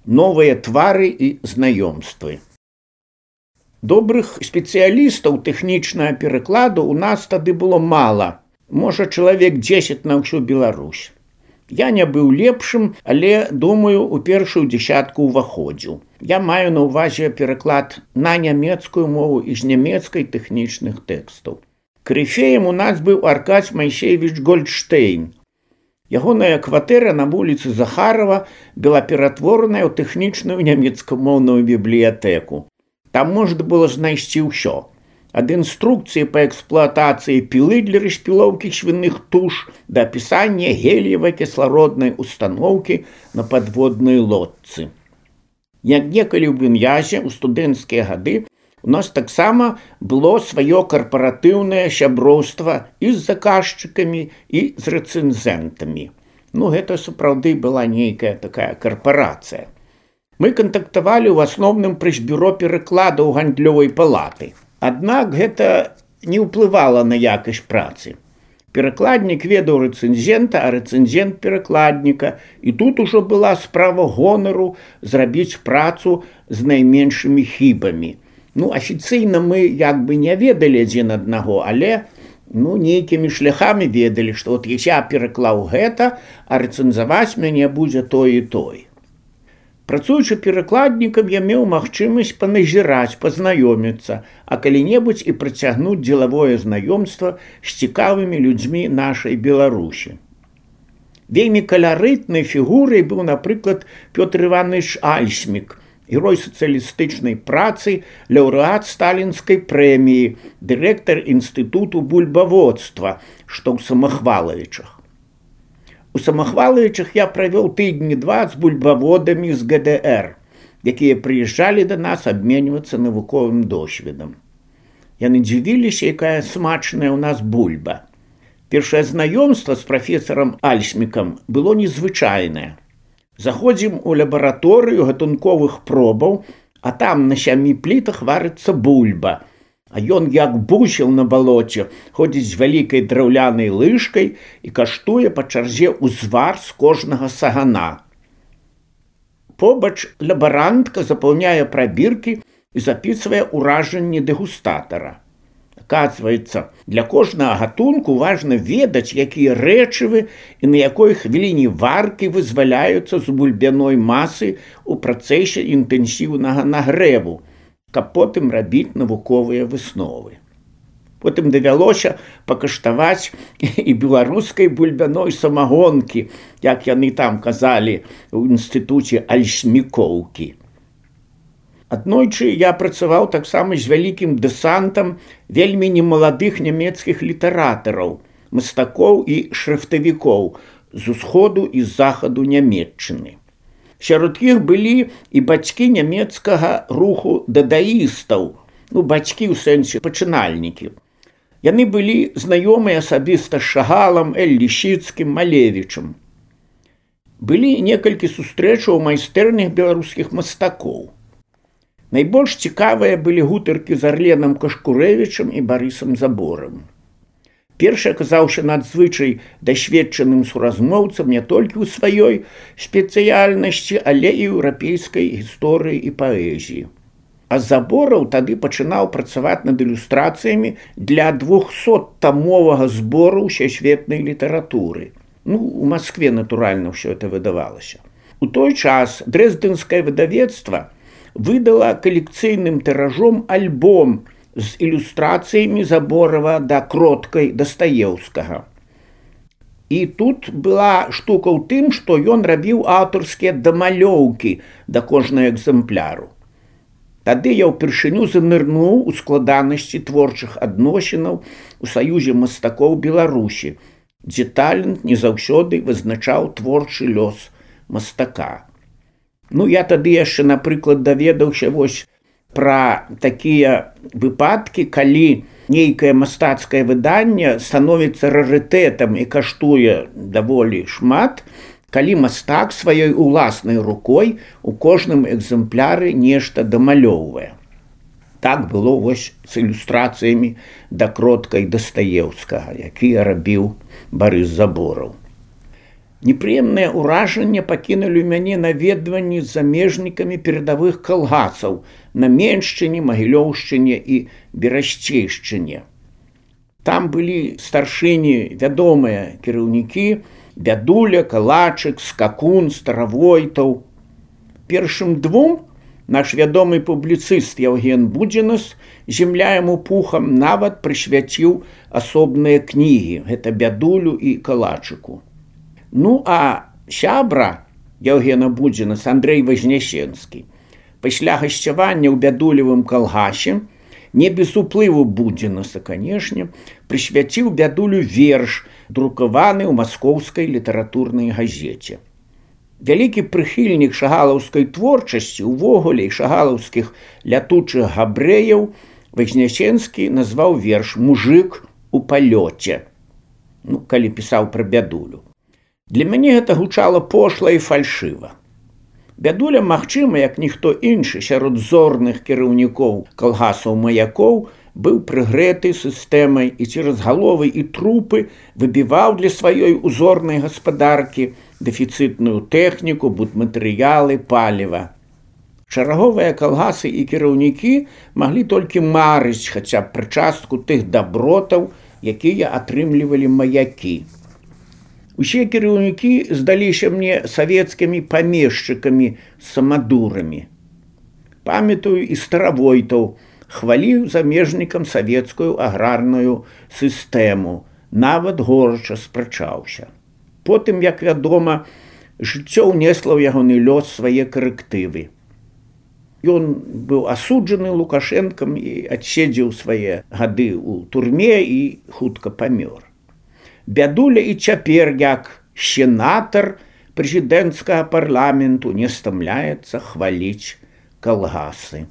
новыя твары і знаёмствы. Добрых спецыялістаў тэхнічнага перакладу ў нас тады было мала, можа чалавек 10 на ўсю Беларусь. Я не быў лепшым, але, думаю, у першую дзесятку ўваходзіў. Я маю на ўвазе пераклад на нямецкую мову і з нямецкай тэхнічных тэкстаў. Карыфеем у нас быў Аркадзь Майсеевіч Гольдштейн. Ягоная кватэра на вуліцы Захарова была ператвораная ў тэхнічную нямецкамоўную бібліятэку. Там можна было знайсці ўсё. Ад інструкцыі па эксплуатацыі пілы для распілоўкі свіных туш да апісання геліевай кіслароднай устаноўкі на падводнай лодцы. Як некалі ў Беньязе ў студэнцкія гады у нас таксама было сваё карпаратыўнае сяброўства і з заказчыкамі, і з рэцэнзентамі. Гэта сапраўды была нейкая такая карпарацыя. Мы кантактавалі ў асноўным праз бюро перакладаў гандлёвай палаты. Аднак гэта не ўплывала на якасць працы. Перакладнік ведаў рэцэнзента, а рэцэнзент перакладніка, і тут ужо была справа гонару зрабіць працу з найменшымі хібамі. Афіцыйна мы як бы не ведалі адзін аднаго, але нейкімі шляхамі ведалі, што я пераклаў гэта, а рэцэнзаваць мяне будзе той і той. Працуючы перакладнікам, я меў магчымасць паназіраць, пазнаёміцца, а калі-небудзь і працягнуць дзелавое знаёмства з цікавымі людзьмі нашай Беларусі. Вельмі каларытнай фігурай быў, напрыклад, Пётр Іванович Альсмік, герой сацыялістычнай працы, лаўрэат сталінскай прэміі, дырэктар інстытуту бульбаводства, што ў Самахвалавічах. У Самахвалавічах я правёў тыдні 2 з бульбаводамі з ГДР, якія прыязджалі да нас абменьвацца навуковым досведам. Яны дзівіліся, якая смачная ў нас бульба. Першае знаёмства з прафесарам Альсмікам было незвычайнае. Заходзім у лабараторыю гатунковых пробаў, а там на 7 плітах варыцца бульба. А ён, як бусел на балоце, ходзіць з вялікай драўлянай лыжкай і каштуе па чарзе ўзвар з кожнага сагана. Побач лабарантка запаўняе прабіркі і запісвае ўражанні дэгустатара. Аказваецца, для кожнага гатунку важна ведаць, якія рэчывы і на якой хвіліне варкі вызваляюцца з бульбяной масы ў працэсе інтэнсіўнага нагрэву, каб потым рабіць навуковыя высновы. Потым давялося пакаштаваць і беларускай бульбяной самагонкі, як яны там казалі ў інстытуце Альсмікоўкі. Аднойчы я працаваў таксама з вялікім дэсантам вельмі немаладых нямецкіх літаратараў, мастакоў і шрыфтавікоў з усходу і з захаду Нямецчыны. Сярод іх былі і бацькі нямецкага руху дадаістаў, бацькі ў сэнсе пачынальнікі. Яны былі знаёмыя асабіста з Шагалам, Лісіцкім, Малевічам. Былі некалькі сустрэчаў у майстэрнях беларускіх мастакоў. Найбольш цікавыя былі гутаркі з Арленам Кашкурэвічам і Барысам Заборам. Першы аказаўся надзвычай дасведчаным суразмоўцам не толькі ў сваёй спецыяльнасці, але і еўрапейскай гісторыі і паэзіі. А Забораў тады пачынаў працаваць над ілюстрацыямі для 200-тамовага збору ўсесветнай літаратуры. У Маскве, натуральна, ўсё это выдавалася. У той час дрэздэнскае выдавецтва выдала калекцыйным тыражом альбом з ілюстрацыямі Заборава да Кроткай Дастаеўскага. І тут была штука ў тым, што ён рабіў аўтарскія дамалёўкі да кожнага экзэмпляру. Тады я ўпершыню занырнуў у складанасці творчых адносінаў у Саюзе мастакоў Беларусі, дзе талент не заўсёды вызначаў творчы лёс мастака. Я тады яшчэ, напрыклад, даведаўся пра такія выпадкі, калі нейкае мастацкае выданне становіцца рарытэтам і каштуе даволі шмат, калі мастак сваёй уласнай рукой у кожным экзэмпляры нешта дамалёўвае. Так было з ілюстрацыямі да Кроткай Дастаеўскага, якія рабіў Барыс Забораў. Непрыемныя ўражанне пакінулі мяне наведванні з замежнікамі перадавых калгасаў на Меншчыне, Магілёўшчыне і Берасцейшчыне. Там былі старшыні вядомыя кіраўнікі: Бядуля, Калачык, Скакун, Старавойтаў. Першым двум наш вядомы публіцыст Яўген Будзінас «Земля яму пухам» нават прысвяціў асобныя кнігі. Гэта Бядулю і Калачыку. Ну, а сябра Яўгена Будзінаса Андрэй Вазнясенскі пасля гасцявання ў Бядулевым калгасе, не без уплыву Будзінаса, канешне, прысвяціў Бядулю верш, друкаваны ў маскоўскай літаратурнай газеце. Вялікі прыхільнік шагалаўскай творчасці, увогуле і шагалаўскіх лятучых габрэяў, Вазнясенскі назваў верш «Мужык у палёце», калі пісаў пра Бядулю. Для мяне гэта гучала пошла і фальшыва. Бядуля, магчыма, як ніхто іншы сярод зорных кіраўнікоў калгасаў-маякоў, быў прыгрэты сістэмай і цераз галовы і трупы выбіваў для сваёй узорнай гаспадаркі дэфіцытную тэхніку, будматэрыялы, паліва. Шараговыя калгасы і кіраўнікі маглі толькі марыць хаця б пра частку тых дабротаў, якія атрымлівалі маякі. Усе кіраўнікі здаліся мне савецкімі памешчыкамі-самадурамі. Памятаю, і Старавойтаў хваліў замежнікам савецкую аграрную сістэму, нават горача спрачаўся. Потым, як вядома, жыццё ўнесла ў ягоны лёс свае карэктывы. Ён быў асуджаны Лукашэнкам і адседзеў свае гады ў турме і хутка памёр. Бядуля і цяпер, як сенатар прэзідэнцкага парламенту, не стамляецца хваліць калгасы.